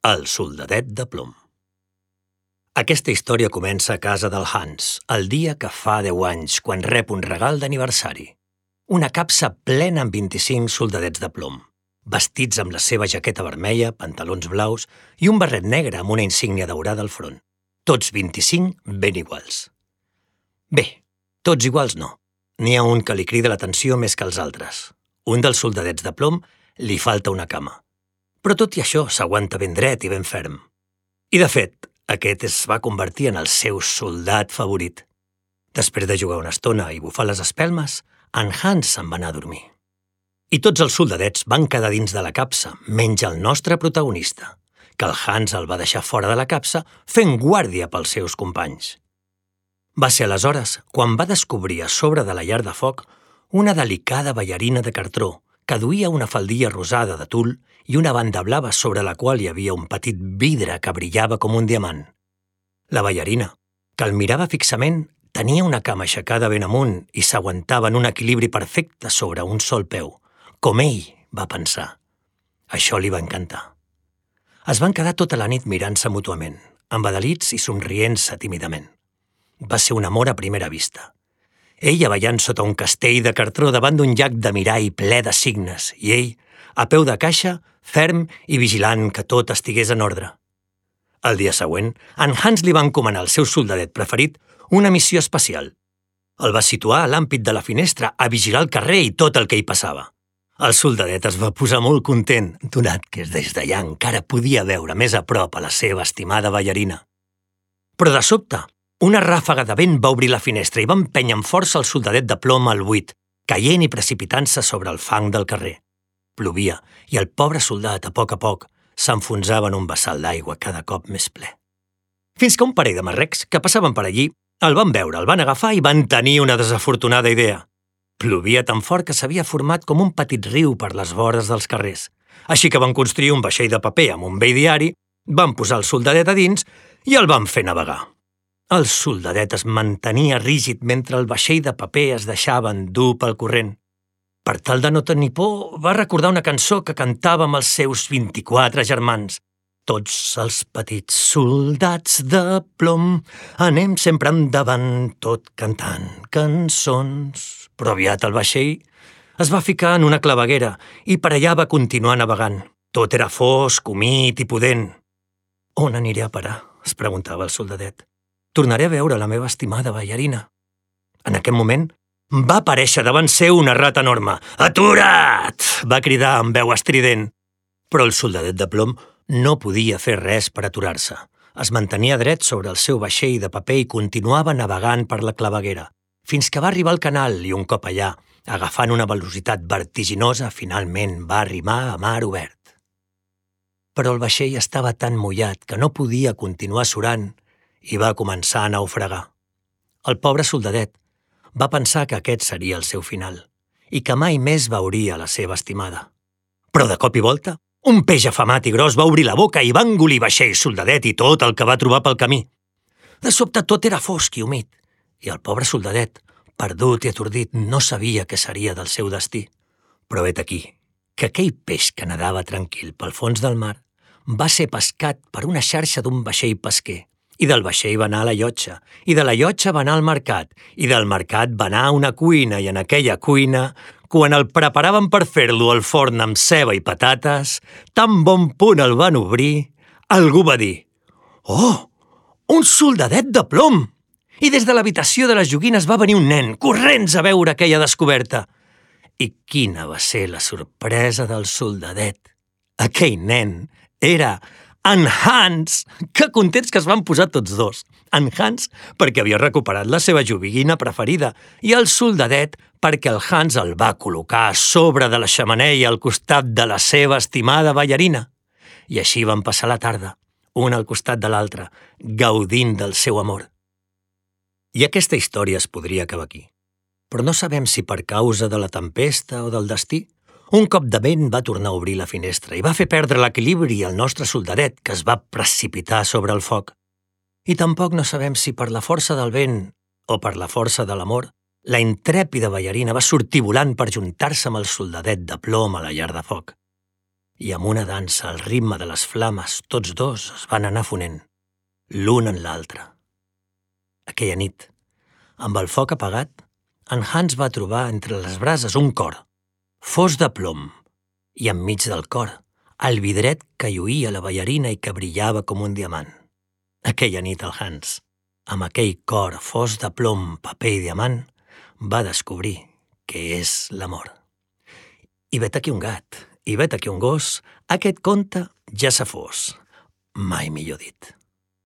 El soldadet de plom. Aquesta història comença a casa del Hans, el dia que fa 10 anys, quan rep un regal d'aniversari. Una capsa plena amb 25 soldadets de plom, vestits amb la seva jaqueta vermella, pantalons blaus i un barret negre amb una insígnia daurada al front. Tots 25 ben iguals. Bé, tots iguals no. N'hi ha un que li crida l'atenció més que els altres. Un dels soldadets de plom li falta una cama. Però tot i això s'aguanta ben dret i ben ferm. I de fet, aquest es va convertir en el seu soldat favorit. Després de jugar una estona i bufar les espelmes, en Hans se'n va anar a dormir. I tots els soldadets van quedar dins de la capsa, menys el nostre protagonista, que el Hans el va deixar fora de la capsa fent guàrdia pels seus companys. Va ser aleshores quan va descobrir a sobre de la llar de foc una delicada ballarina de cartró que duia una faldilla rosada de tul i una banda blava sobre la qual hi havia un petit vidre que brillava com un diamant. La ballarina, que el mirava fixament, tenia una cama aixecada ben amunt i s'aguantava en un equilibri perfecte sobre un sol peu, com ell va pensar. Això li va encantar. Es van quedar tota la nit mirant-se mútuament, embadalits i somrient-se tímidament. Va ser un amor a primera vista. Ella ballant sota un castell de cartró davant d'un llac de mirall ple de signes i ell, a peu de caixa, ferm i vigilant que tot estigués en ordre. El dia següent, en Hans li va encomanar al seu soldadet preferit una missió especial. El va situar a l'àmpit de la finestra a vigilar el carrer i tot el que hi passava. El soldadet es va posar molt content, donat que des d'allà encara podia veure més a prop a la seva estimada ballarina. Però de sobte, una ràfaga de vent va obrir la finestra i va empènyer amb força el soldadet de plom al buit, caient i precipitant-se sobre el fang del carrer. Plovia i el pobre soldat, a poc, s'enfonsava en un vessal d'aigua cada cop més ple. Fins que un parell de marrecs que passaven per allí el van veure, el van agafar i van tenir una desafortunada idea. Plovia tan fort que s'havia format com un petit riu per les vores dels carrers. Així que van construir un vaixell de paper amb un vell diari, van posar el soldadet a dins i el van fer navegar. El soldadet es mantenia rígid mentre el vaixell de paper es deixava endur pel corrent. Per tal de no tenir por, va recordar una cançó que cantava amb els seus 24 germans. Tots els petits soldats de plom anem sempre endavant, tot cantant cançons. Però aviat el vaixell es va ficar en una claveguera i per allà va continuar navegant. Tot era fosc, humit i pudent. On aniré a parar? Es preguntava el soldadet. Tornaré a veure la meva estimada ballarina. En aquest moment, va aparèixer davant seu una rata enorme. «Atura't!» va cridar amb veu estrident. Però el soldadet de plom no podia fer res per aturar-se. Es mantenia dret sobre el seu vaixell de paper i continuava navegant per la claveguera, fins que va arribar al canal i un cop allà, agafant una velocitat vertiginosa, finalment va arrimar a mar obert. Però el vaixell estava tan mullat que no podia continuar surant i va començar a naufragar. El pobre soldadet va pensar que aquest seria el seu final i que mai més veuria la seva estimada. Però de cop i volta, un peix afamat i gros va obrir la boca i va engolir vaixell, soldadet i tot el que va trobar pel camí. De sobte tot era fosc i humit i el pobre soldadet, perdut i atordit, no sabia què seria del seu destí. Però vet aquí que aquell peix que nedava tranquil pel fons del mar va ser pescat per una xarxa d'un vaixell pesquer. I del vaixell va anar a la llotja, i de la llotja va anar al mercat, i del mercat va anar a una cuina, i en aquella cuina, quan el preparaven per fer-lo al forn amb ceba i patates, tan bon punt el van obrir, algú va dir «Oh, un soldadet de plom!» I des de l'habitació de les joguines va venir un nen, corrents a veure aquella descoberta. I quina va ser la sorpresa del soldadet! Aquell nen era en Hans! Que contents que es van posar tots dos. En Hans perquè havia recuperat la seva joguina preferida i el soldadet perquè el Hans el va col·locar a sobre de la xemeneia al costat de la seva estimada ballarina. I així van passar la tarda, un al costat de l'altre, gaudint del seu amor. I aquesta història es podria acabar aquí. Però no sabem si per causa de la tempesta o del destí, un cop de vent va tornar a obrir la finestra i va fer perdre l'equilibri al nostre soldadet, que es va precipitar sobre el foc. I tampoc no sabem si per la força del vent o per la força de l'amor, la intrèpida ballarina va sortir volant per juntar-se amb el soldadet de plom a la llar de foc. i amb una dansa al ritme de les flames tots dos es van anar fonent, l'un en l'altre. Aquella nit, amb el foc apagat, en Hans va trobar entre les brases un cor, fos de plom, i enmig del cor, el vidret que lluïa la ballarina i que brillava com un diamant. Aquella nit el Hans, amb aquell cor fos de plom, paper i diamant, va descobrir què és l'amor. I vet aquí un gat, i vet aquí un gos, aquest conte ja s'ha fos, mai millor dit.